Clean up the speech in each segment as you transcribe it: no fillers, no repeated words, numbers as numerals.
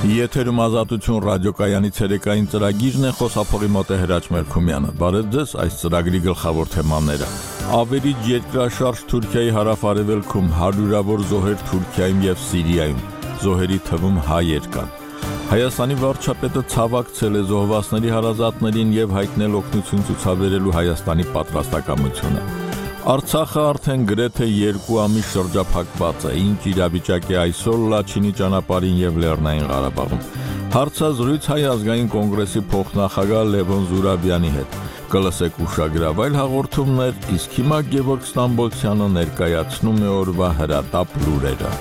Եթերում ազատություն ռադիոկայանի ցերեկային ծրագիրն է, խոսափողի մոտ է Հրաչ Մերքումյանը։ Բարև ձեզ, այս ծրագրի գլխավոր թեմաները։ Ավերիջ երկրաշարժ Թուրքիայի հարավ-արևելքում, հարյուրավոր զոհեր Թուրքիայում եւ Սիրիայում, զոհերի թվում հայեր կան։ Հայաստանի վարչապետը ցավակցել է զոհվածների հարազատներին եւ հայտնել օգնություն ցուցաբերելու Հայաստանի պատրաստակամությունը։ Արցախը արդեն գրեթե 2 ամիս շրջափակված է, ինչ իրավիճակ է այսօր Լաչինի ճանապարհին եւ Լեռնային Ղարաբաղում։ Հարցազրույց Հայ ազգային կոնգրեսի փոխնախագահ Լևոն Զուրաբյանի հետ։ Կլսեք ուշագրավայր հաղորդումներ, իսկ հիմա Գևորգ Ստամբոլցյանը ներկայացնում է օրվա հրատապ լուրերը։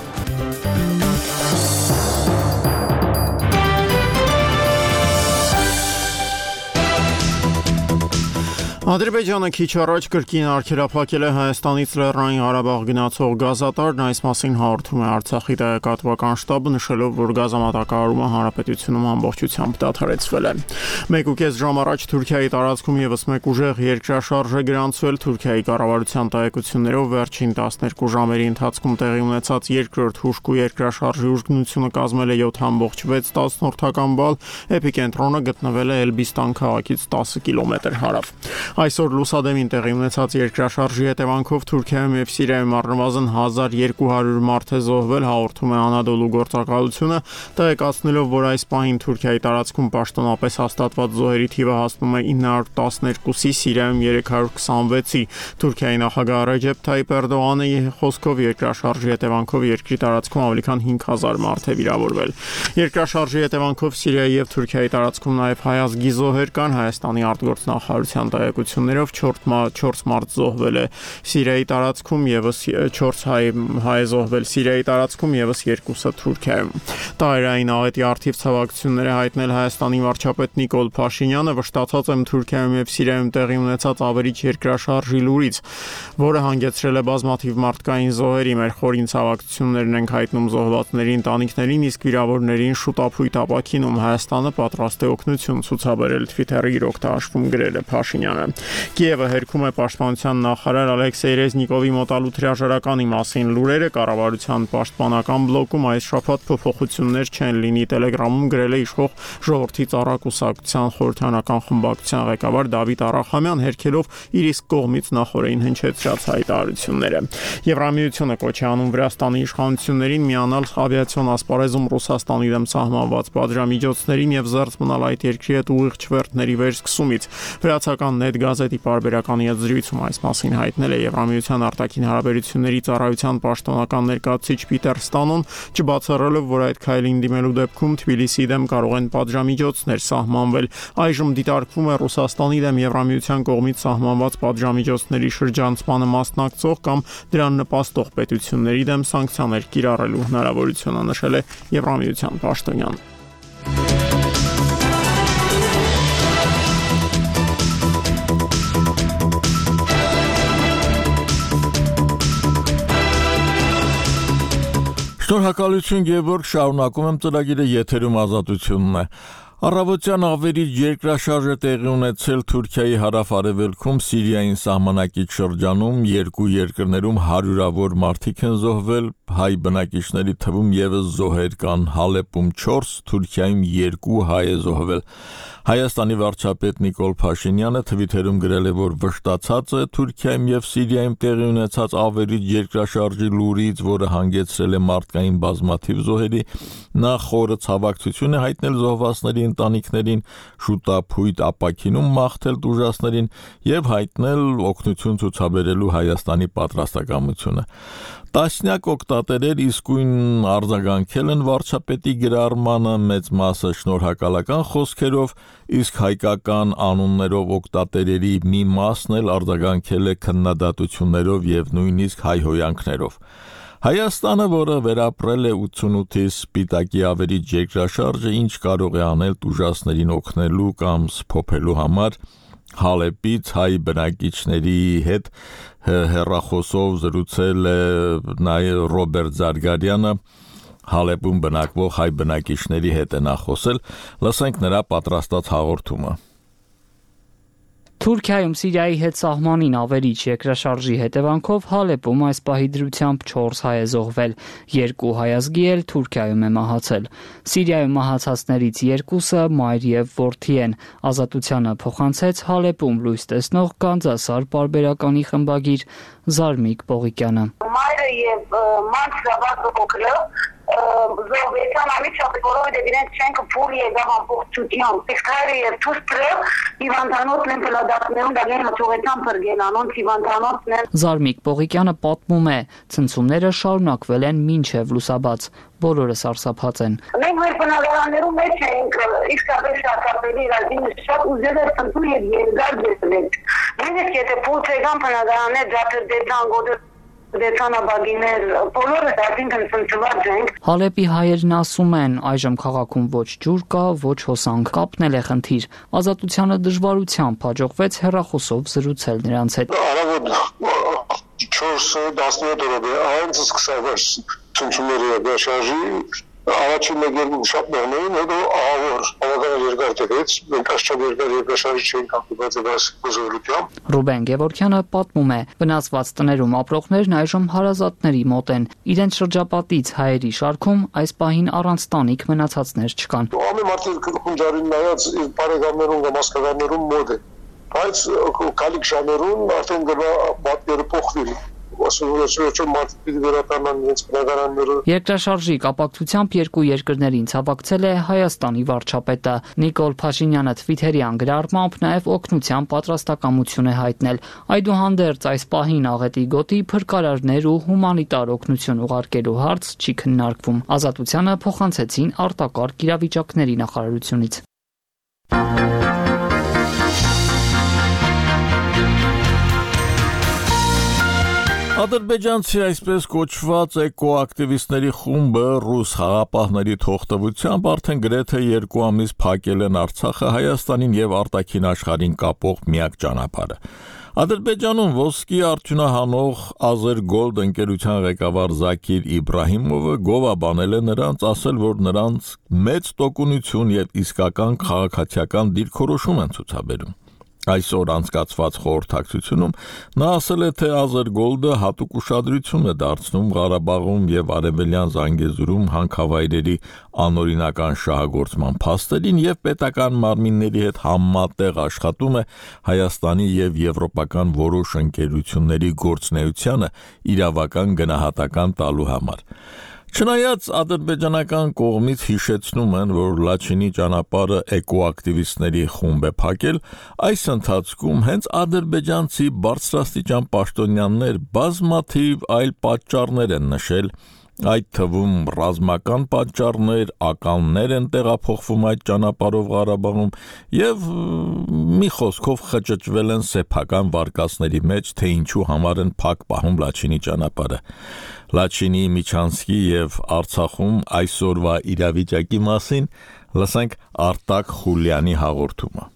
Ադրբեջանը քիչ առաջ կրկին արգելափակել է Հայաստանից Լեռնային Ղարաբաղ գնացող գազատարն, այս մասին հաղորդում է Արցախի տեղեկատվական շտաբը, նշելով, որ գազամատակարարումը հանրապետությունում ամբողջությամբ դադարեցվել է։ 1.5 ժամ առաջ Թուրքիայի տարածքում եւս մեկ ուժեղ երկրաշարժ է գրանցվել։ Թուրքիայի կառավարության տեղեկություններով վերջին 12 ժամերի ընթացքում տեղի ունեցած երկրորդ հուժկու երկրաշարժի ուժգնությունը կազմել է 7.6 բալ, էպիկենտրոնը գտնվել է Էլբիստան քաղաքից 10 կիլոմետր հարավ։ Այսօր լուսադեմին տեղի ունեցած երկրաշարժի հետևանքով Թուրքիայում եւ Սիրիայում առնվազն 1200 մարդ է զոհվել, հաղորդում է Անադոլու գործակալությունը, տեղեկացնելով, որ այս պահին Թուրքիայի տարածքում պաշտոնապես հաստատված զոհերի թիվը հասնում է 912-ի, Սիրիայում 326-ի։ Թուրքիայի նախագահ Ռեջեփ Թայիփ Էրդողանի խոսքով երկրաշարժի հետևանքով երկրի տարածքում ավելի քան 5000 մարդ է վիրավորվել։ Երկրաշարժի հետևանքով Սիրիայի եւ Թուրքիայի տարածքում նաեւ հայ ազգի զոհեր կան, Հայաստանի արտգործնախարարության տեղեկություններով 4 մարդ զոհվել է Սիրիայի տարածքում եւս 4 հայ զոհվել Սիրիայի տարածքում եւս 2-ը Թուրքիայում։ Տարերային աղետի արդիվ ցավակցություններ է հայտնել Հայաստանի վարչապետ Նիկոլ Փաշինյանը, վշտացած եմ Թուրքիայում եւ Սիրիայում տեղի ունեցած ավերիչ երկրաշարժի լուրից, որը հանգեցրել է բազմաթիվ մարդկային զոհերի։ Մեր խորին ցավակցություններն ենք հայտնում զոհվածների ընտանիքներին, իսկ վիրավորներին շուտապույտ ապաքինում։ Հայաստանը պատրաստ է օգնություն ցուցաբերել, Twitter-ի իր օգտահաշվում գրել է Փաշինյանը։ Կիևը հերքում է պաշտպանության նախարար Ալեքսեյ Ռեզնիկովի մոտալուտ հրաժարականի մասին լուրերը։ Կառավարության պաշտպանական բլոկում այս շաբաթ փոփոխություններ չեն լինի, Telegram-ում գրել է իշխող Ժողովրդի ծառակուսակցության խորհրդարանական խմբակցության ղեկավար Դավիթ Արախամյան, հերքելով իր իսկ կողմից նախորդին հնչեցրած հայտարարությունները։ Եվրամիությունը կոչ է անում Վրաստանի իշխանություններին միանալ ավիացիոն ասպարեզում Ռուսաստանի դեմ սահմանված պատժամիջոցներին եւ զերծ մնալ այդ երկրի հետ ուղիղ չվերթների վերսկսումից։ Վրացական Net գազետի պարբերականի հետ զրույցում այս մասին հայտնել է Եվրամիության արտաքին հարաբերությունների ծառայության պաշտոնական ներկայացուցիչ Պիտեր Ստանոն, չբացառելով, որ այդ քայլին դիմելու դեպքում Թբիլիսիի դեմ կարող են պատժամիջոցներ սահմանվել։ Այժմ դիտարկվում է Ռուսաստանի դեմ Եվրամիության կողմից սահմանված պատժամիջոցների շրջանցմանը մասնակցող կամ դրան նպաստող պետությունների դեմ սանկցիաներ կիրառելու հնարավորությունը, նշել է Եվրամիության պաշտոնյան։ Շնորհակալություն Գևորգ, շարունակում եմ ծրագիրը, եթերում ազատությունն է։ Առավոտյան ավերիչ երկրաշարժ է տեղի ունեցել Թուրքիայի հարավ-արևելքում, Սիրիային սահմանակից շրջանում, երկու երկրներում հարյուրավոր մարդիկ են զոհվել, հայ բնակիչների թվում եւս զոհեր կան, Հալեպում 4, Թուրքիայում 2 հայ է զոհվել։ Հայաստանի վարչապետ Նիկոլ Փաշինյանը Twitter-ում գրել է, որ վշտացած է Թուրքիայում եւ Սիրիայում տեղի ունեցած ավերիչ երկրաշարժի լուրից, որը հանգեցրել է մարդկային բազմաթիվ զոհերի, նա խորը ցավակցություն է հայտնել զոհվածների ընտանիքներին, շուտապույտ ապաքինում մաղթել տուժածներին եւ հայտնել օգնություն ցուցաբերելու Հայաստանի պատրաստակամությունը։ Տասնյակ օգտատերեր իսկույն արձագանքել են վարչապետի գրառմանը, մեծ մասը շնորհակալական խոսքերով, իսկ հայկական անուններով օգտատերերի մի մասն էլ արձագանքել է քննադատություններով եւ նույնիսկ հայհոյանքներով։ Հայաստանը, որը վերապրել է 88-ի Սպիտակի ավերիչ երկրաշարժը, ինչ կարող է անել տուժածներին օգնելու կամ սփոփելու համար, Հալեպից հայ բնակիչների հետ հեռախոսով զրուցել է նաև Ռոբերտ Զարգարյանը, Հալեպում բնակվող հայ բնակիչների հետ է նա խոսել, լսենք նրա պատրաստած հաղորդումը։ Թուրքիայում Սիրիայի հետ սահմանին ավերիչ երկրաշարժի հետևանքով Հալեպում այս պահի դրությամբ 4 հայ է զոհվել, 2 հայազգի էլ Թուրքիայում է մահացել։ Սիրիայում մահացածներից 2-ը մայր եւ որդի են։ Ազատությանը փոխանցեց Հալեպում լույս տեսնող Գանձասար պարբերականի խմբագիր Զարմիկ Պողիկյանը։ Մայրը եւ մանրավազը փոքրը զոհվեցան ամիջապես, որովհետև իրենց շենքը փուլ եղավ ամբողջությամբ։ Իսկ հայրը եւ թուրքը հիվանդանոցն են փլադացնում, դրանք մտուղեցան փրկել անոնց հիվանդանոցն են։ Զարմիկ Պողիկյանը պատմում է, ցնցումները շարունակվել են մինչև լուսաբաց։ Բոլորը սարսափած են։ Մենք մեր բնակարաններում մեջ ենք, իսկապես շարժապելի իրազինը շատ ուզել էր ցնցում եւ երկար դեպք։ Նույնիսկ եթե փոքր եկան բնակարաններ դատերդեցան գոտը դեցանաբագիներ, բոլորը դարձինքն ցնցված ենք։ Հալեպի հայերն ասում են, այժմ քաղաքում ոչ ջուր կա, ոչ հոսանք, կապնել է խնդիր։ Ազատությանը դժվարությամբ հաջողվեց հեռախոսով զրուցել նրանց հետ։ Արագ 4-17 րոպե անց սկսավ ցնցումները դաշարժի առաջին մեկերին շատ նորմալ հետո ահավոր բավական երկար տևեց մենք աշխատ երկար երկրաշարժ չենք հանդիպած այս զորությամբ։ Ռուբեն Գևորգյանը պատմում է, վնասված տներում ապրողներն այժմ հարազատների մոտ են։ Իրենց շրջապատից հայերի շարքում այս պահին առանց տանիք մնացածներ չկան։ Ամեն մարդը քունջարին նայած իր բարեկամներուն կամ հասկականներուն մոտ է, բայց կալիք ժամերուն արդեն գնա պատկերը փոխվի։ Երկրաշարժի կապակցությամբ երկու երկրներին ցավակցել է Հայաստանի վարչապետը Նիկոլ Փաշինյանը Թվիթերյան գրառմամբ նաև օգնության պատրաստակամություն է հայտնել։ Այդուհանդերձ այս պահին աղետի գոտի փրկարարներ ու հումանիտար օգնություն ուղարկելու հարց չի քննարկվում։ Ազատությանը փոխանցեցին արտակարգ իրավիճակների նախարարությունից։ Ադրբեջանցի այսպես կոչված էկոակտիվիստների խումբը ռուս խաղապահների թողտվությամբ արդեն գրեթե 2 ամիս փակել են Արցախը Հայաստանին եւ արտաքին աշխարհին կապող միակ ճանապարհը։ Ադրբեջանում ոսկի արդյունահանող Azergold ընկերության ղեկավար Զաքիր Իբրահիմովը գովաբանել է նրանց, ասել, որ նրանց մեծ տոկունություն եւ իսկական քաղաքացիական դիրքորոշում են ցուցաբերում։ Այսօր անցկացված խորհրդակցությունում նա ասել է, թե Azergold-ը հատուկ ուշադրություն է դարձնում Ղարաբաղում եւ Արևելյան Զանգեզուրում հանքավայրերի անօրինական շահագործման փաստերին եւ պետական մարմինների հետ համատեղ աշխատում է Հայաստանի եւ եվրոպական որոշ ընկերությունների գործունեությանը իրավական գնահատական տալու համար։ Չնայած ադրբեջանական կողմից հիշեցնում են, որ Լաչինի ճանապարհը էկոակտիվիստների խումբ է փակել, այս ընթացքում հենց ադրբեջանցի բարձրաստիճան պաշտոնյաներ բազմաթիվ այլ պատճառներ են նշել, այդ թվում ռազմական պատճառներ, ականներ են տեղափոխվում այդ ճանապարհով Ղարաբաղում եւ մի խոսքով խճճվել են սեփական վարկածների մեջ, թե ինչու համար են փակ պահում Լաչինի ճանապարհը։ Լաչինի, Միչանսկի եւ Արցախում այսօրվա իրավիճակի մասին լսենք Արտակ Խուլյանի հաղորդումը։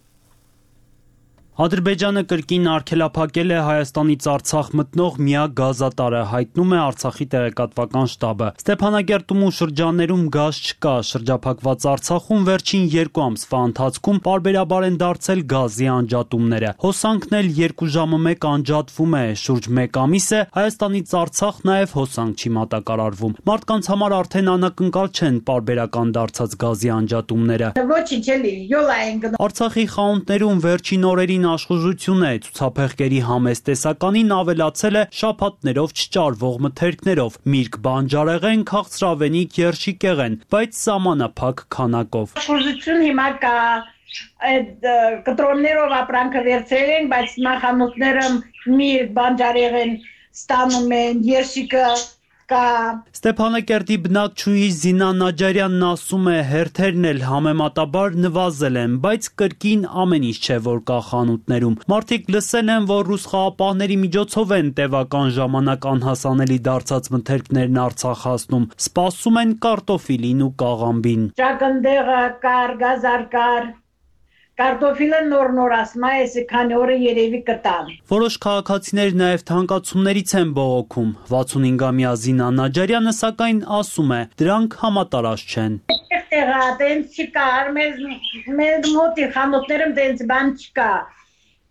Ադրբեջանը կրկին արգելափակել է Հայաստանից Արցախ մտնող միակ գազատարը, հայտնում է Արցախի տեղեկատվական շտաբը։ Ստեփանագերտում ու շրջաններում գազ չկա, շրջափակված Արցախում վերջին 2 ամսվա ընթացքում պարբերաբար են դարձել գազի անջատումները։ Հոսանքն էլ 2 ժամը 1 անջատվում է, շուրջ 1 ամիս է Հայաստանից Արցախ նաև հոսանք չի մատակարարվում։ Մարդկանց համար արդեն անակնկալ չեն պարբերական դարձած գազի անջատումները։ Արցախի խանութներում վերջին օրերին աշխուժություն է, ցուցափեղկերի համեստ տեսականին ավելացել է շաբաթներով չճարվող մթերքներով, միրգ բանջարեղեն, քաղցրավենիք, երշիկեղեն, բայց սահմանափակ քանակով։ Աշխուժություն հիմա կա, այդ կտրոններով ապրանքը վերցրել են, բայց նախանութները միրգ բանջարեղեն ստանում են, երշիկը Ստեփանակերտի բնակչուհի Զինա Նաջարյանն ասում է, հերթերն էլ համեմատաբար նվազել են, բայց կրկին ամեն ինչ չէ, որ կա խանութներում։ Մարդիկ լսել են, որ ռուս խաղապահների միջոցով են տևական ժամանակ անհասանելի դարձած մթերքներն Արցախ հասնում, սպասում են կարտոֆիլին ու կաղամբին։ Ճակնդեղը կար, գազար կար, կարտոֆիլը նոր ասում է, այսի քանի օրը երևի կտան։ Որոշ քաղաքացիներ նաև թանկացումներից են բողոքում։ 65-ամյա Զինա Նաջարյանը սակայն ասում է, դրանք համատարած չեն։ Տեղա տենց չկա, մեզ մոտի խանութներում տենց բան չկա։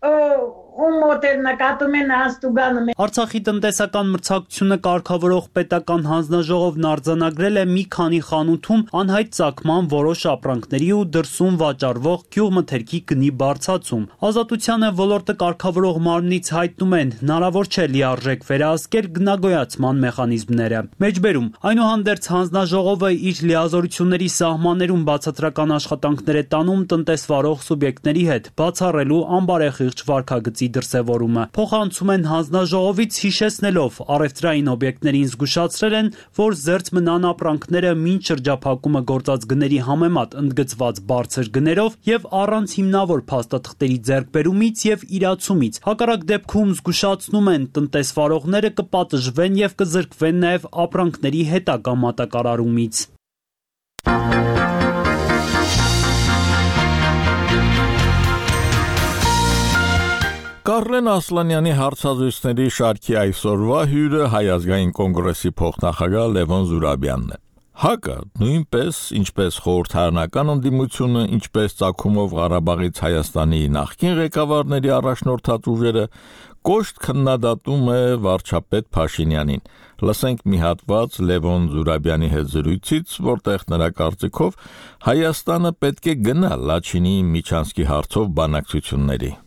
ում մոտել նկատում են հաստուգանը։ Արցախի տնտեսական մրցակցությունը կարգավորող պետական հանձնաժողովն արձանագրել է մի քանի խանութում անհայտ ծագման որոշ ապրանքների ու դրսում վաճառվող գյուղմթերքի գնի բարձրացում։ Ազատությանը ոլորտը կարգավորող մարմնից հայտնում են, հնարավոր չէ լիարժեք վերահսկել գնագոյացման մեխանիզմները։ Մեջբերում, այնուհանդերձ հանձնաժողովը իր լիազորությունների սահմաններում բացատրական աշխատանքներ է տանում տնտեսվարող սուբյեկտների հետ, բացառելու անբարեխիղճ վարքագծի դրսևորումը։ Փոխանցում են հանձնաժողովից հիշեցնելով առևտրային օբյեկտներին զգուշացրել են, որ զերծ մնան ապրանքները մինչ շրջափակումը գործած գների համեմատ ընդգծված բարձր գներով եւ առանց հիմնավոր փաստաթղթերի ձեռքբերումից եւ իրացումից։ Հակառակ դեպքում զգուշացնում են տնտեսվարողները կպատժվեն եւ կզրկվեն նաեւ ապրանքների հետագա մատակարարումից։ Կարլեն Ասլանյանի հարցազրույցների շարքի այսօրվա հյուրը Հայ ազգային կոնգրեսի փոխնախագահ Լևոն Զուրաբյանն է։ ՀԱԿ-ը նույնպես, ինչպես խորհրդարանական ընդդիմությունը, ինչպես ծագումով Ղարաբաղից Հայաստանի նախկին ղեկավարների առաջնորդած ուժերը կոշտ քննադատում է վարչապետ Փաշինյանին։ Լսենք մի հատված Լևոն Զուրաբյանի հետ զրույցից, որտեղ նրա կարծիքով Հայաստանը պետք է գնա Լաչինի Միչանսկի հարցով բանակցությունների։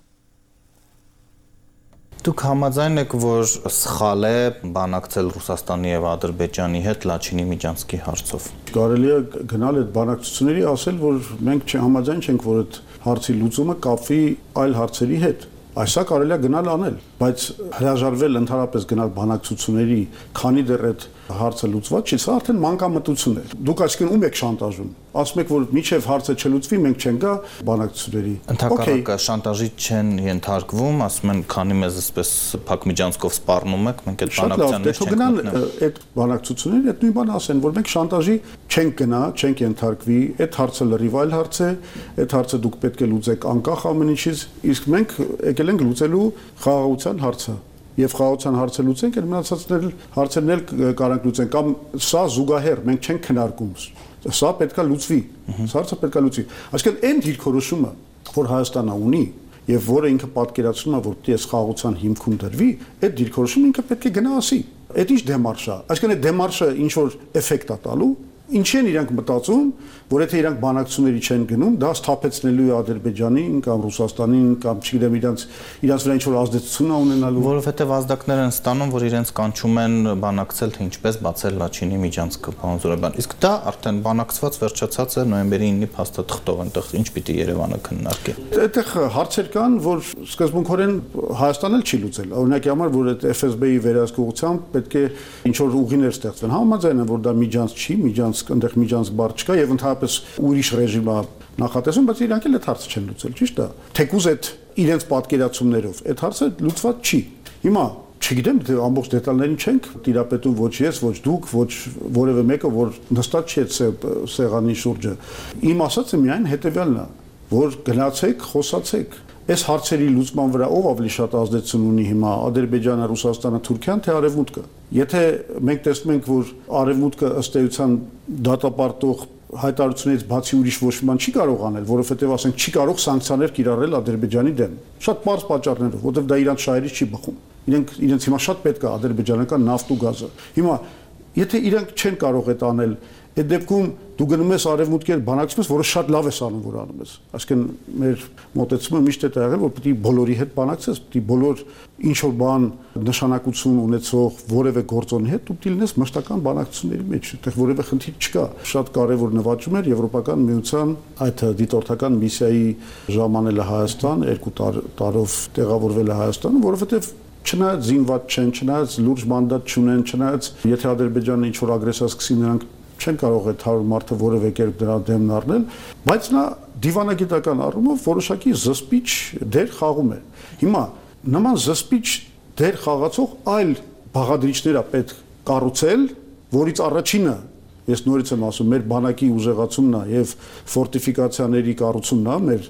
Դուք համաձայն եք, որ սխալ է բանակցել Ռուսաստանի եւ Ադրբեջանի հետ Լաչինի Միջանսկի հարցով։ Կարելի է գնալ այդ բանակցությունների, ասել, որ մենք համաձայն չենք, որ այդ հարցի լուծումը կապվի այլ հարցերի հետ։ Այսա կարելի է գնալ անել, բայց հրաժարվել ընդհանրապես գնալ բանակցությունների, քանի դեռ այդ հարցը լուծված չի, սա արդեն մանկամտություն է։ Դուք այսինքն ում եք շանտաժում։ Ասում եք, որ մինչև հարցը չլուծվի, մենք չենք գա բանակցությունների։ Ընդհակառակը շանտաժի չեն ենթարկվում, ասում են, քանի մեզ այսպես Փակ Միջանսկով սպառնում եք, մենք այդ բանակցությունները չենք գնալ։ Այդ բանակցությունների այդ նույն բանը ասեն, որ մենք շանտաժի չենք գնա, չենք ենթարկվի, այդ հարցը լրիվ այլ հարց է, այդ հարցը դուք պետք է լուծեք անկախ ամեն ինչից, իսկ մենք եկել ենք լուծելու խաղաղության հարցը։ Եվ խաղաղության հարցը լուծենք, այդ մնացածներ հարցերն էլ կարանք լուծենք, կամ սա զուգահեռ, մենք չենք քննարկում։ Սա պետքա լուծվի։ Սա հարցը պետքա լուծվի։ Այսինքն այն դիրքորոշումը, որ Հայաստանը ունի, եւ որը ինքը պատկերացնում է, որ դի այս խաղաղության հիմքում դրվի, այդ դիրքորոշումը ինքը պետք է գնա ասի։ Այդ ինչ դեմարշ է։ Այսինքն այդ դեմարշը ինչ որ էֆեկտ է տալու։ Ինչի են իրանք մտածում, որ եթե իրանք բանակցությունների չեն գնում, դա սթափեցնելու է Ադրբեջանին կամ Ռուսաստանին կամ չգիտեմ իրանք վրա ինչ-որ ազդեցություն ունենալու, որովհետև ազդակներ են ստանում, որ իրենց կանչում են բանակցել, թե ինչպես բացել Լաչինի Միջանսկը, պարոն Զուրաբյան։ Իսկ դա արդեն բանակցված վերջացած է նոյեմբերի 9-ի փաստաթղթով, այնտեղ ինչ պիտի Երևանը քննարկի։ Այդտեղ հարցեր կան, որ սկզբունքորեն Հայաստանն էլ չի լուծել։ Օրինակի համար, որ այդ FSB-ի վերահսկողությամբ պետք է ինչ-որ ուղիներ ստեղծվեն։ Համաձայն եմ, որ դա Միջանսկ չի, այնտեղ Միջանսկ բառ չկա եւ ընդհանրապես ուրիշ ռեժիմ է նախատեսում, բայց իրանք էլ այդ հարցը չեն լուծել, ճիշտ է։ Թեկուզ այդ իրենց պատկերացումներով այդ հարցը լուծված չի։ Հիմա չգիտեմ, թե ամբողջ դետալներին չենք տիրապետում ոչ ես, ոչ դուք, ոչ որևէ մեկը, որ նստած չի այդ սեղանի շուրջը։ Իմ ասածը միայն հետեւյալն է, որ գնացեք, խոսացեք։ Այս հարցերի լուծման վրա ով ավելի շատ ազդեցություն ունի հիմա Ադրբեջանը, Ռուսաստանը, Թուրքիան, թե Արևմուտքը։ Եթե մենք տեսնում ենք, որ Արևմուտքը ըստ էության դատապարտող հայտարարությունից բացի ուրիշ ոչ մի բան չի կարող անել, որովհետև ասենք չի կարող սանկցիաներ կիրառել Ադրբեջանի դեմ։ Շատ բարձ պատճառներով, որովհետև դա իրանց շահերից չի բխում։ Իրենց հիմա շատ պետք է ադրբեջանական նավթ ու գազը։ Հիմա եթե իրանք չեն կարող այդ անել, այդ դեպքում դու գնում ես արևմուտքի բանակցում ես, որը շատ լավ է անում, որ անում ես։ Այսինքն մեր մոտեցումը միշտ է եղել, որ պետք է բոլորի հետ բանակցես, պետք է բոլոր ինչ որ բան նշանակություն ունեցող որևէ գործոնի հետ դու պետք է լինես մշտական բանակցությունների մեջ, այդտեղ որևէ խնդիր չկա։ Շատ կարևոր նվաճում էր Եվրոպական միության այդ դիտորդական միսիայի ժամանելը Հայաստան, 2 տարով տեղավորվելը Հայաստանում, որովհետև չնայած զինված չեն, չնայած լուրջ մանդատ չունեն, չնայած եթե Ադրբեջանը ինչ որ ագրեսիա սկսի, նրանք չեն կարող այդ 100 մարդը որևէ կերպ դրա դեմն առնել, բայց նա դիվանագիտական առումով որոշակի զսպիչ դեր խաղում է։ Հիմա նման զսպիչ դեր խաղացող այլ բաղադրիչներ է պետք կառուցել, որից առաջինը, ես նորից եմ ասում, մեր բանակի ուժեղացումն է եւ ֆորտիֆիկացիաների կառուցումն է մեր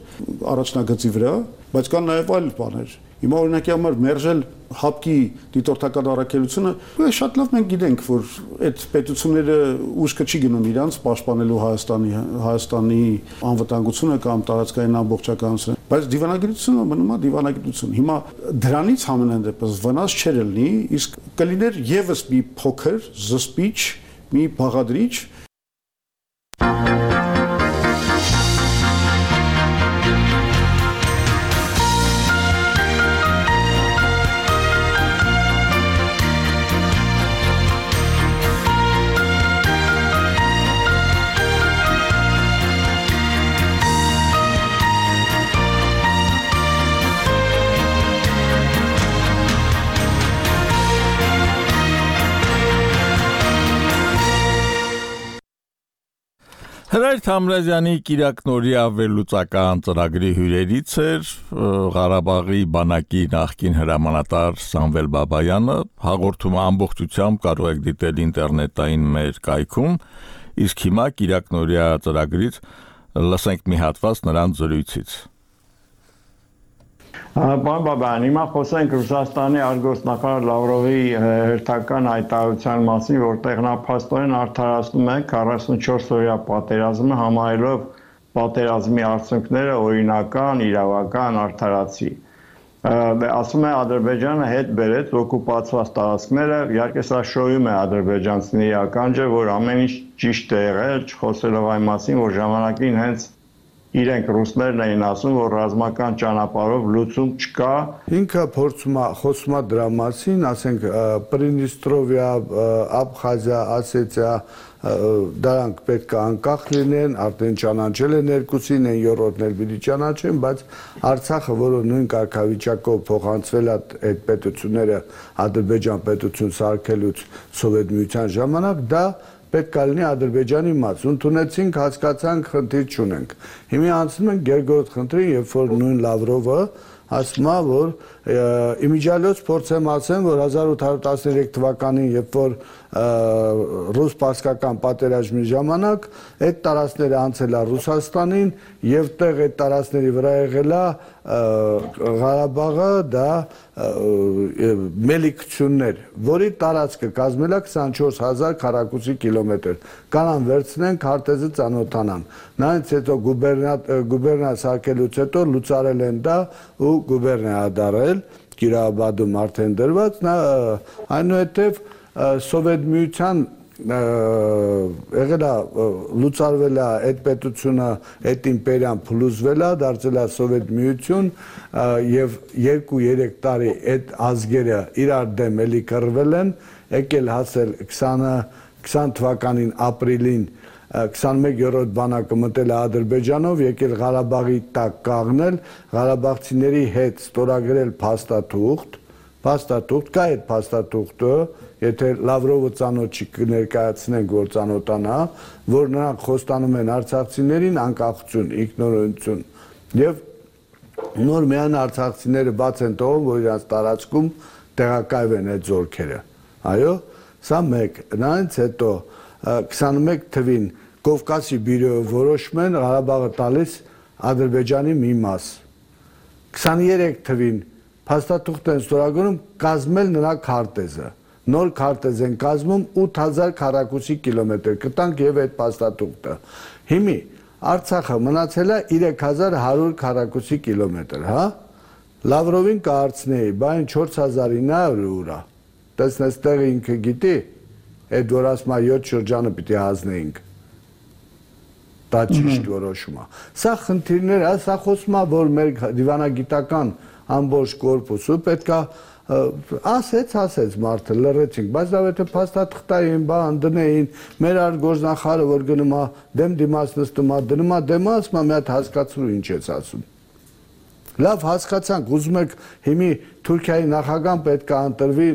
առաջնագծի վրա, բայց կան նաեւ այլ բաներ։ Հիմա օրինակի համար մերժել հապկի դիտորդական առաքելությունը, շատ լավ մենք գիտենք, որ այդ պետությունները ուշքը չի գնում իրանց պաշտպանելու Հայաստանի անվտանգությունը կամ տարածքային ամբողջականությունը, բայց դիվանագիտությունը մնում է դիվանագիտություն։ Հիմա դրանից համենայն դեպս վնաս չէր լինի, իսկ կլիներ եւս մի փոքր զսպիչ, մի բաղադրիչ։ Հրայր Թամրազյանի Կիրակնորի ավելուծական ծրագրի հյուրերից էր Ղարաբաղի բանակի նախկին հրամանատար Սամվել Բաբայանը, հաղորդումը ամբողջությամբ կարող եք դիտել ինտերնետային մեր կայքում, իսկ հիմա Կիրակնորիա ծրագրից լսենք մի հատված նրանց զրույցից։ Պարոն Բաբայան, հիմա խոսենք Ռուսաստանի արտգործնախարար Լավրովի հերթական հայտարարության մասին, որտեղ նա փաստորեն արդարացնում է 44-օրյա պատերազմը, համարելով պատերազմի արդյունքները օրինական, իրավական, արդարացի։ Ասում է Ադրբեջանը հետ բերեց օկուպացված տարածքները, իհարկե սա շոյում է ադրբեջանցիների ականջը, որ ամեն ինչ ճիշտ է եղել, չխոսելով այն մասին, որ ժամանակին հենց իրենք ռուսներն էին ասում, որ ռազմական ճանապարհով լուծում չկա։ Ինքը խոսում է դրա մասին, ասենք Պրիդնիստրովիա, Աբխազիա, Ասետիա, դրանք պետք է անկախ լինեն, արդեն ճանաչել են երկուսին, են երրորդն էլ պիտի ճանաչեն, բայց Արցախը, որը նույն կարգավիճակով փոխանցվել է այդ պետությունները Ադրբեջան պետություն սարքելուց Սովետ միության ժամանակ, դա պետք է լինի Ադրբեջանի մաս։ Ընդունեցինք, հասկացանք, խնդիր չունենք։ Հիմա անցնում ենք երկրորդ խնդրին, երբ որ նույն Լավրովը ասում է, որ իմիջիալոց փորձեմ ասեմ, որ 1813 թվականին, երբ որ ռուս-պարսկական պատերազմի ժամանակ այդ տարածքները անցել է Ռուսաստանին եւ տեղ այդ տարածքների վրա եղել է Ղարաբաղը, դա մելիքություններ, որի տարածքը կազմել է 24000 քառակուսի կիլոմետր։ Կանան վերցնեն քարտեզը ծանոթանան։ Նրանից հետո գուբերնա սարքելուց հետո լուծարել են դա ու գուբերնա դարել Կիրաբադում արդեն դրված, այնուհետև Սովետ միության եղել է լուծարվել է այդ պետությունը, այդ իմպերիան փլուզվել է, դարձել է Սովետ միություն եւ 2-3 տարի այդ ազգերը իրար դեմ էլի կռվել են, եկել հասել 20 թվականին ապրիլին 21-րդ բանակը մտել է Ադրբեջանով, եկել Ղարաբաղի տակ կաղնել, Ղարաբաղցիների հետ ստորագրել փաստաթուղթ, կա այդ փաստաթուղթը, եթե Լավրովը ծանոթ չի կներկայացնենք, որ ծանոթանա, որ նրանք խոստանում են արցախցիներին անկախություն, ինքնորոշություն եւ նոր միայն արցախցիները բաց են տողում, որ իրաց տարածքում տեղակայվեն այդ զորքերը։ Այո, սա մեկ, նրանից հետո 21 թվին Կովկասի բյուրոյը որոշում են Ղարաբաղը տալիս Ադրբեջանի մի մաս։ 23 թվին փաստաթուղթ են ստորագրում կազմել նրա քարտեզը։ Նոր քարտեզ են կազմում 8000 քառակուսի կիլոմետր, կտանք եւ այդ փաստաթուղթը։ Հիմի Արցախը մնացել է 3100 քառակուսի կիլոմետր, հա։ Լավրովին կհարցնեի, բայն 4900 ուր է։ Տեսնես տեղը ինքը գիտի, այդ որ ասում է 7 շրջանը պիտի հանձնեինք։ Դա ճիշտ որոշում է։ Սա խնդիրներ է, սա խոսում է, որ մեր դիվանագիտական ամբողջ կորպուսը պետքա ասեց մարդը լռեցինք, բայց դա եթե փաստաթղթային բան դնեին, մեր արտգործնախարարը որ գնում է դեմ դիմաց նստում է, դնում է դեմը, ասում է մի հատ հասկացրու ինչ ես ասում։ Լավ հասկացանք, ուզում եք հիմի Թուրքիայի նախագահան պետք է ընտրվի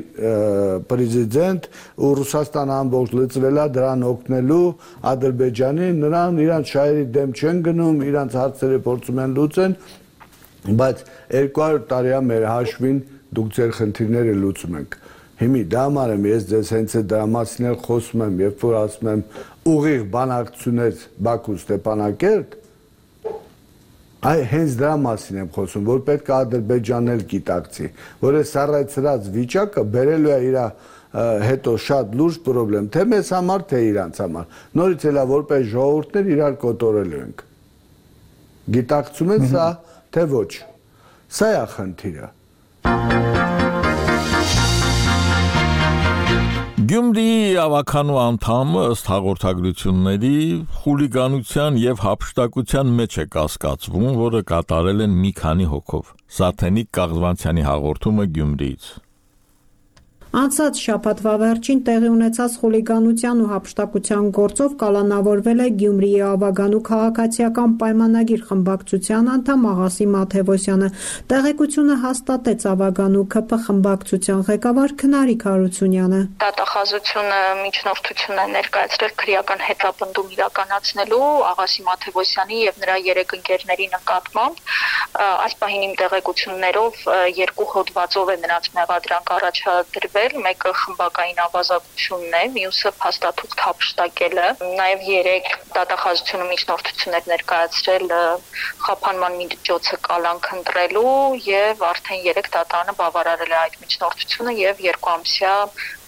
պրեզիդենտ ու Ռուսաստանը ամբողջ լծվել է դրան օգնելու Ադրբեջանին, նրան իրանց շահերի դեմ չեն գնում, իրանց հարցերը փորձում են լուծեն, բայց 200 տարիա մեր հաշվին դուք ձեր խնդիրները լուծում եք։ Հիմի դա համար եմ ես ձեզ հենց այդ դրա մասին էլ խոսում եմ, երբ որ ասում եմ ուղիղ բանակցությունից Բաքու Ստեփանակերտ, Այ հենց դրա մասին եմ խոսում, որ պետք է Ադրբեջանն էլ գիտակցի, որ այս առայցրած վիճակը բերելու է իր հետո շատ լուրջ խնդրեմ, թե մեզ համար, թե իրանց համար։ Նորից էլա որպես ժողովուրդներ իրար կոտորելու ենք։ Գիտակցում են սա, թե ոչ։ Սա է խնդիրը։ Գյումրիի ավականու անդամը ըստ հաղորդագրությունների խուլիգանության եւ հափշտակության մեջ է կասկածվում, որը կատարել են մի քանի հոգով։ Սաթենիկ Կաղզվանցյանի հաղորդումը Գյումրիից։ Անցած շաբաթվա վերջին տեղի ունեցած խուլիգանության ու հափշտակության գործով կալանավորվել է Գյումրիի Ավագանու քաղաքացիական պայմանագիր խմբակցության անդամ Աղասի Մաթևոսյանը։ Տեղեկությունը հաստատեց Ավագանու ԿՓ խմբակցության ղեկավար Քնարիկ Հարությունյանը։ Դատախազությունը միջնորդություն է ներկայացրել քրեական հետապնդում իրականացնելու Աղասի Մաթևոսյանի եւ նրա 3 ընկերների նկատմամբ։ Այս պահին իմ տեղեկություններով 2 հոդվածով է նրանց մեղադրանք առաջադրվել, մեկը խմբակային ավազակությունն է, մյուսը փաստաթուղթ հափշտակելը, նաև 3 դատախազությունը միջնորդություններ ներկայացրել խափանման միջոցը կալանք ընտրելու եւ արդեն 3 դատանը բավարարել է այդ միջնորդությունը եւ 2 ամսյա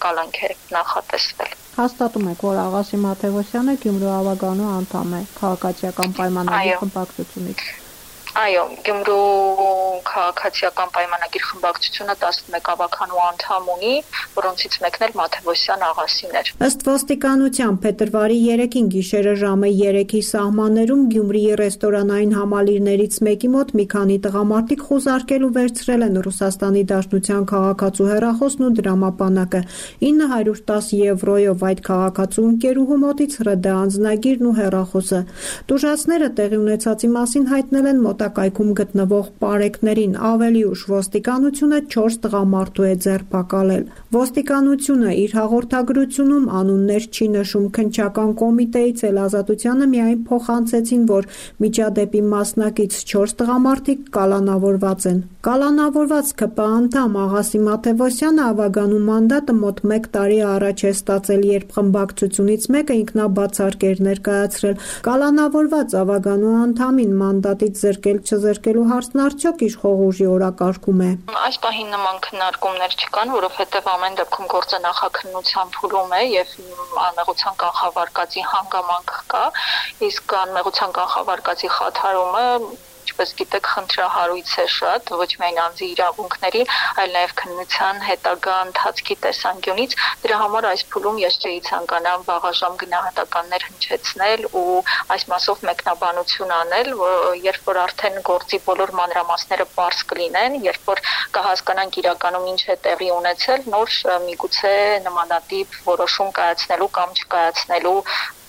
կալանք է նախատեսվել։ Հաստատում եք, որ Աղասի Մաթևոսյանը Գյումրու Ավագանու անդամ է քաղաքացիական պայմանագրի խմբակցությունից։ Այո, Գյումրու քաղաքացիական պայմանագիր խմբակցությունը 11 ավականու անդամ ունի, որոնցից մեկն էլ Մաթևոսյան Աղասին էր։ Ըստ ոստիկանության փետրվարի 3-ին գիշերը ժամը 3-ի սահմաններում Գյումրիի ռեստորանային համալիրներից մեկի մոտ մի քանի տղամարդիկ խուզարկել ու վերցրել են Ռուսաստանի Դաշնության քաղաքացու հեռախոսն ու դրամապանակը 910 եվրոյով այդ քաղաքացու ընկերուհու մոտից ՌԴ անձնագիրն ու հեռախոսը։ Տուժածները տեղի ունեցածի մասին հայտնել են մոտակայքում գտնվող պարեկներին, ավելի ուշ ոստիկանությունը 4 տղամարդու է ձերբակալել։ Ոստիկանությունը իր հաղորդագրությունում անուններ չի նշում, քննչական կոմիտեից էլ Ազատությանը միայն փոխանցեցին, որ միջադեպի մասնակից 4 տղամարդիկ կալանավորված են։ Կալանավորված ԿՊ անդամ Աղասի Մաթևոսյանը Ավագանու մանդատը մոտ 1 տարի առաջ է ստացել, երբ խմբակցությունից մեկը ինքնաբացարկ էր ներկայացրել։ Կալանավորված Ավագանու անդամին մանդատից չզրկելու հարցն արդյոք իշխող ուժի օրակարգում է։ Այս պահին նման քննարկումներ չկան, որովհետև ամեն դեպքում գործը նախաքննության փուլում է եւ անմեղության կանխավարկածի հանգամանք կա, իսկ անմեղության կանխավարկածի խաթարումը ինչպես գիտեք, խնդրահարույց է շատ, ոչ միայն անձի իրավունքների, այլ նաև քննության հետագա ընթացքի տեսանկյունից։ Դրա համար այս փուլում ես չէի ցանկանա վաղաժամ գնահատականներ հնչեցնել ու այս մասով մեկնաբանություն անել, երբ որ արդեն գործի բոլոր մանրամասները պարզ կլինեն, երբ որ կհասկանանք իրականում ինչ է տեղի ունեցել, նոր միգուցե նմանատիպ որոշում կայացնելու կամ չկայացնելու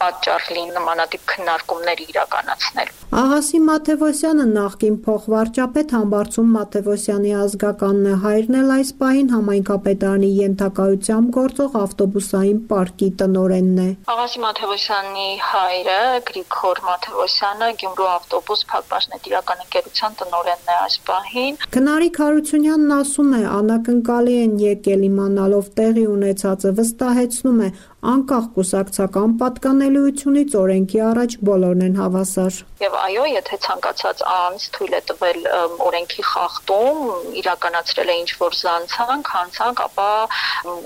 պատճառ լինի նմանատիպ քննարկումներ իրականացնել։ Աղասի Մաթևոսյանը նախկին փոխվարչապետ Համբարձում Մաթևոսյանի ազգականն է, հայրն էլ այս պահին համայնքապետարանի ենթակայությամբ գործող ավտոբուսային պարկի տնօրենն է։ Աղասի Մաթևոսյանի հայրը Գրիգոր Մաթևոսյանը Գյումրու ավտոբուս փակbaşնետիրական ընկերության տնօրենն է այս պահին։ Քնարիկ Հարությունյանն ասում է, անակնկալի են եկել իմանալով տեղի ունեցածը, վստահեցնում է, անկախ կուսակցական պատկանելիությունից օրենքի առաջ բոլորն են հավասար։ Եվ այո, եթե ցանկացած անձ թույլ է տվել օրենքի խախտում, իրականացրել է ինչ-որ զանցանք, հանցանք, ապա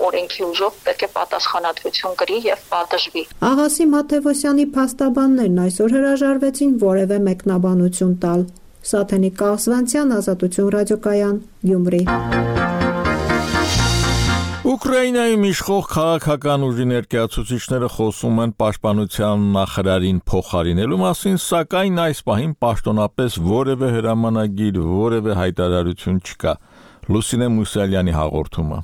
օրենքի ուժով պետք է պատասխանատվություն կրի եւ պատժվի։ Աղասի Մաթևոսյանի փաստաբաններն այսօր հրաժարվեցին որևէ մեկնաբանություն տալ։ Սաթենիկ Կաղզվանցյան, Ազատություն ռադիոկայան, Գյումրի։ Ուկրաինայում իշխող քաղաքական ուժի ներկայացուցիչները խոսում են պաշտպանության նախարարին փոխարինելու մասին, սակայն այս պահին պաշտոնապես որևէ հրամանագիր, որևէ հայտարարություն չկա։ Լուսինե Մուսալյանի հաղորդումը։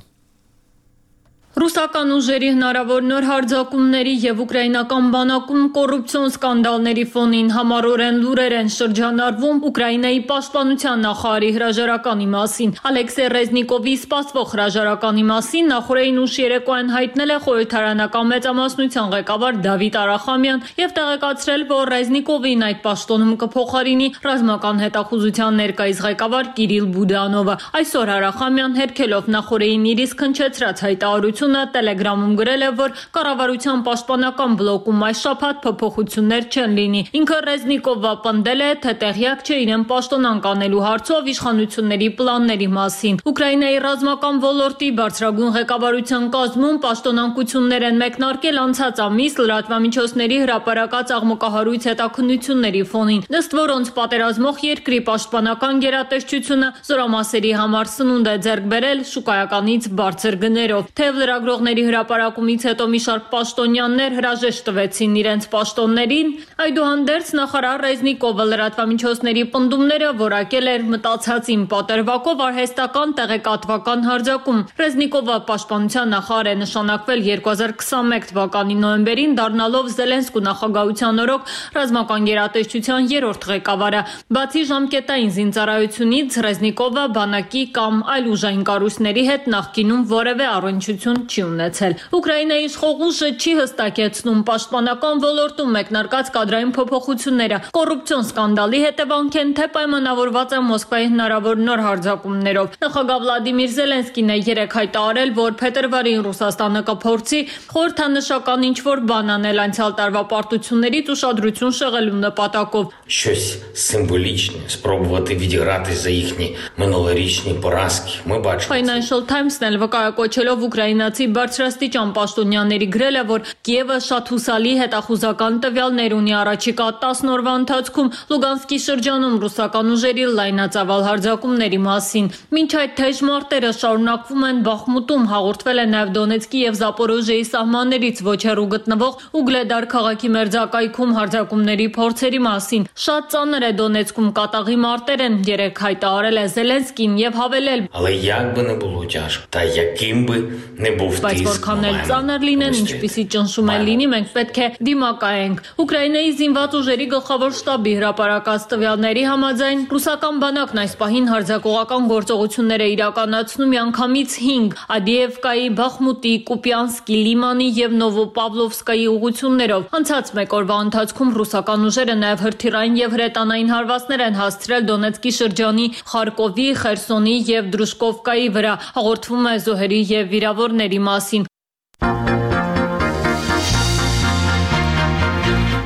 Ռուսական ուժերի հնարավոր նոր հարձակումների եւ ուկրաինական բանակում կոռուպցիոն սկանդալների ֆոնին համառորեն լուրեր են շրջանառվում Ուկրաինայի պաշտպանության նախարարի հրաժարականի մասին։ Ալեքսեյ Ռեզնիկովի սպասվող հրաժարականի մասին նախորդին ուշ երեկոյան հայտնել է խորհրդարանական մեծամասնության ղեկավար Դավիթ Արախամյան եւ տեղեկացրել, որ Ռեզնիկովին այդ պաշտոնում կփոխարինի ռազմական հետախուզության ներկայիս ղեկավար Կիրիլ Բուդանովը։ Այսօր Արախամյան հերքելով նախորդին իր իսկ հնչեցրած հայտարարություն ընկերությունը Telegram-ում գրել է, որ կառավարության պաշտպանական բլոկում այս շաբաթ փոփոխություններ չեն լինի։ Ինքը Ռեզնիկովը պնդել է, թե տեղյակ չէ իրեն պաշտոնանկ անելու հարցով իշխանությունների պլանների մասին։ Ուկրաինայի ռազմական ոլորտի բարձրագույն ղեկավարության կազմում պաշտոնանկություններ են մեկնարկել անցած ամիս լրատվամիջոցների հրապարակած աղմկահարույց հետաքննությունների ֆոնին, ըստ որոնց պատերազմող երկրի պաշտպանական գերատեսչությունը զորամասերի համար սնունդ է ձեռք բերել շուկայականից բարձր գներով։ Թեև լրագրողների հրապարակումից հետո մի շարք պաշտոնյաներ հրաժեշտ տվեցին իրենց պաշտոններին, այդուհանդերձ նախարար Ռեզնիկովը լրատվամիջոցների պնդումները որակել էր մտածածին պատրվակով արհեստական տեղեկատվական հարձակում։ Ռեզնիկովը պաշտպանության նախարար է նշանակվել 2021 թվականի նոյեմբերին, դառնալով Զելենսկու նախագահության օրոք ռազմական գերատեսչության երրորդ ղեկավարը։ Բացի ժամկետային զինծառայությունից Ռեզնիկովը բանակի կամ այլ ուժային կառույցների հետ նախկինում որևէ առնչություն չի ունեցել։ Ուկրաինայի իշխող ուժը չի հստակեցնում պաշտպանական ոլորտում մեկնարկած կադրային փոփոխությունները կոռուպցիոն սկանդալի հետևանք են, թե պայմանավորված է Մոսկվայի հնարավոր նոր հարձակումներով։ Նախագահ Վլադիմիր Զելենսկին է երեկ հայտարարել, որ փետրվարին Ռուսաստանը կփորձի խորհրդանշական ինչ-որ բան անել անցյալ տարվա պարտություններից ուշադրություն շեղելու նպատակով։ Щось символічне, спробувати відіграти за їхні минулорічні поразки. Ми бачимо. Financial Times-ն էլ վկայակոչելով ուկրաինացի բարձրաստիճան պաշտոնյաների գրել է, որ Կիևը շատ հուսալի հետախուզական տվյալներ ունի առաջիկա 10 օրվա ընթացքում Լուգանսկի շրջանում ռուսական ուժերի լայնածավալ հարձակումների մասին։ Մինչ այդ թեժ մարտերը շարունակվում են Բախմուտում, հաղորդվել է նաև Դոնեցկի եւ Զապորոժիեի սահմաններից ոչ հեռու գտնվող Ուգլեդար քաղաքի մերձակայքում հարձակումների փորձերի մասին։ Շատ ծանր է Դոնեցկում կատաղի մարտեր են, երեկ հայտարարել է Զելենսկին եւ հավելել. Але як би не було тяжко, та яким би не був тиск. Բայց որքան էլ ծանր լինեն, ինչպիսի ճնշում է լինի, մենք պետք է դիմակայենք։ Ուկրաինայի զինված ուժերի գլխավոր շտաբի հրապարակած տվյալների համաձայն ռուսական բանակն այս պահին հարձակողական գործողություններ է իրականացնում միանգամից 5 Ադիևկայի, Բախմուտի, Կուպյանսկի, Լիմանի եւ Նովոպավլովսկայի ուղություններով։ Անցած մեկ օրվա ընթացքում ռուսական ուժերը նաև հրթիռային եւ հրետանային հարվածներ են հասցրել Դոնեցկի շրջանի Խարկովի, Խերսոնի եւ Դրուշկովկայի վրա, հաղորդվում է զոհերի եւ վիրավորների մասին։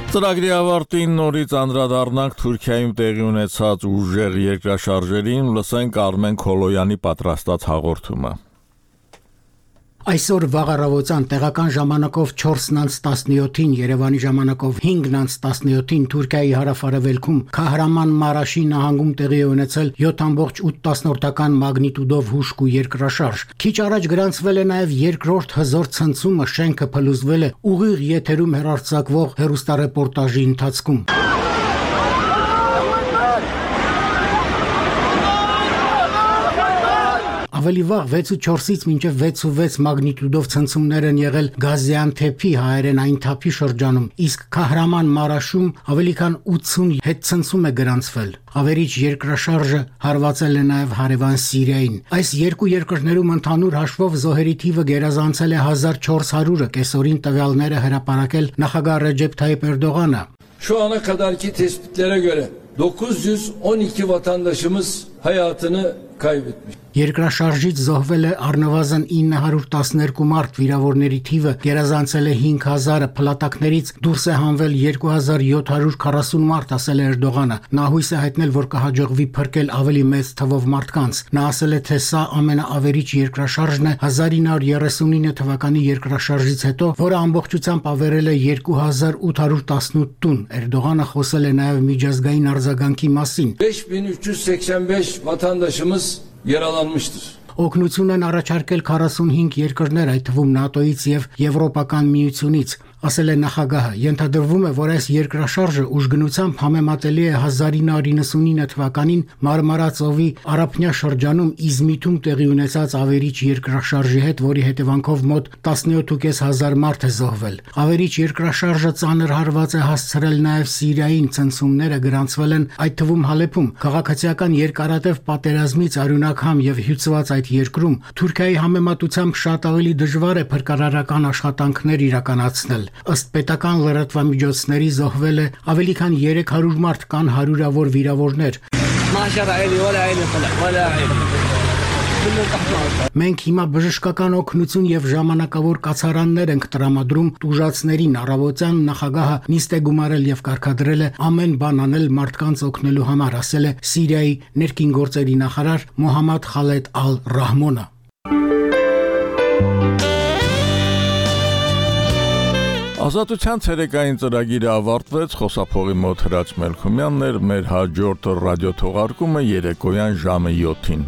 Ծրագրի ավարտին նորից անդրադառնանք Թուրքիայում տեղի ունեցած ուժեղ երկրաշարժերին, լսենք Արմեն Քոլոյանի պատրաստած հաղորդումը։ Այսօր վաղառավոտյան տեղական ժամանակով 4:17-ին, Երևանի ժամանակով 5:17-ին Թուրքիայի հարավ-արևելքում Քահրաման Մարաշի նահանգում տեղի է ունեցել 7.8 մագնիտուդով հուժկ ու երկրաշարժ։ Քիչ առաջ գրանցվել է նաև երկրորդ հզոր ցնցումը, շենքը փլուզվել է ուղիղ եթերում հեռարձակվող հեռուստառեպորտաժի ընթացքում։ Ավելի վաղ 6.4-ից մինչև 6.6 մագնիտուդով ցնցումներ են եղել Գազիանթեփի հայերենային թափի շրջանում, իսկ Քահրաման Մարաշում ավելի քան 80 հետցնցում է գրանցվել։ Ավերիչ երկրաշարժը հարվածել է նաև հարևան Սիրիային։ Այս երկու երկրներում ընդհանուր հաշվով զոհերի թիվը գերազանցել է 1400-ը, կեսօրին տվյալները հրապարակել նախագահ Ռեջեփ Թայիփ Էրդողանը։ Şu ana kadarki tespitlere göre 912 vatandaşımız hayatını kaybetmiş. Երկրաշարժից զոհվել է առնվազն 912 մարդ, վիրավորների թիվը գերազանցել է 5000-ը, փլատակներից դուրս է հանվել 2740 մարդ, ասել է Էրդողանը։ Նա հույս է հայտնել, որ կհաջողվի փրկել ավելի մեծ թվով մարդկանց։ Նա ասել է, թե սա ամենաավերիչ երկրաշարժն է 1939 թվականի երկրաշարժից հետո, որը ամբողջությամբ ավերել է 2818 տուն։ Էրդողանը խոսել է նաև միջազգային արձագանքի մասին։ 5385 vatandaşımız yaralanmıştır. Օգնություն են առաջարկել 45 երկրներ, այդ թվում ՆԱՏՕ-ից եւ Եվրոպական միությունից, ասել է նախագահը։ Ենթադրվում է, որ այս երկրաշարժը ուժգնությամբ համեմատելի է 1999 թվականին Մարմարա ծովի Արաբնյա շրջանում Իզմիթում տեղի ունեցած ավերիչ երկրաշարժի հետ, որի հետևանքով մոտ 17500 մարդ է զոհվել։ Ավերիչ երկրաշարժը ծանր հարված է հասցրել նաև Սիրիային, ցնցումները գրանցվել են այդ թվում Հալեփում։ Քաղաքացիական երկարատև պատերազմից արյունակամ եւ հյուծված այդ երկրում Թուրքիայի համեմատությամբ շատ ավելի դժվար է փրկարարական աշխատանքներ իրականացնել։ Ըստ պետական լրատվամիջոցների զոհվել է ավելի քան 300 մարդ, կան հարյուրավոր վիրավորներ։ Մենք հիմա բժշկական օգնություն եւ ժամանակավոր կացարաններ ենք տրամադրում տուժածներին։ Առավոտյան նախագահը նիստ է գումարել եւ կարգադրել է ամեն բան անել մարդկանց օգնելու համար, ասել է Սիրիայի ներքին գործերի նախարար Մոհամմադ Խալեդ Ալ-Ռահմոնը։ Ազատության ցերեկային ծրագիրը ավարտվեց, խոսափողի մոտ Հրաչ Մելքումյանն էր, մեր հաջորդ ռադիոթողարկումը երեկոյան ժամը 7-ին։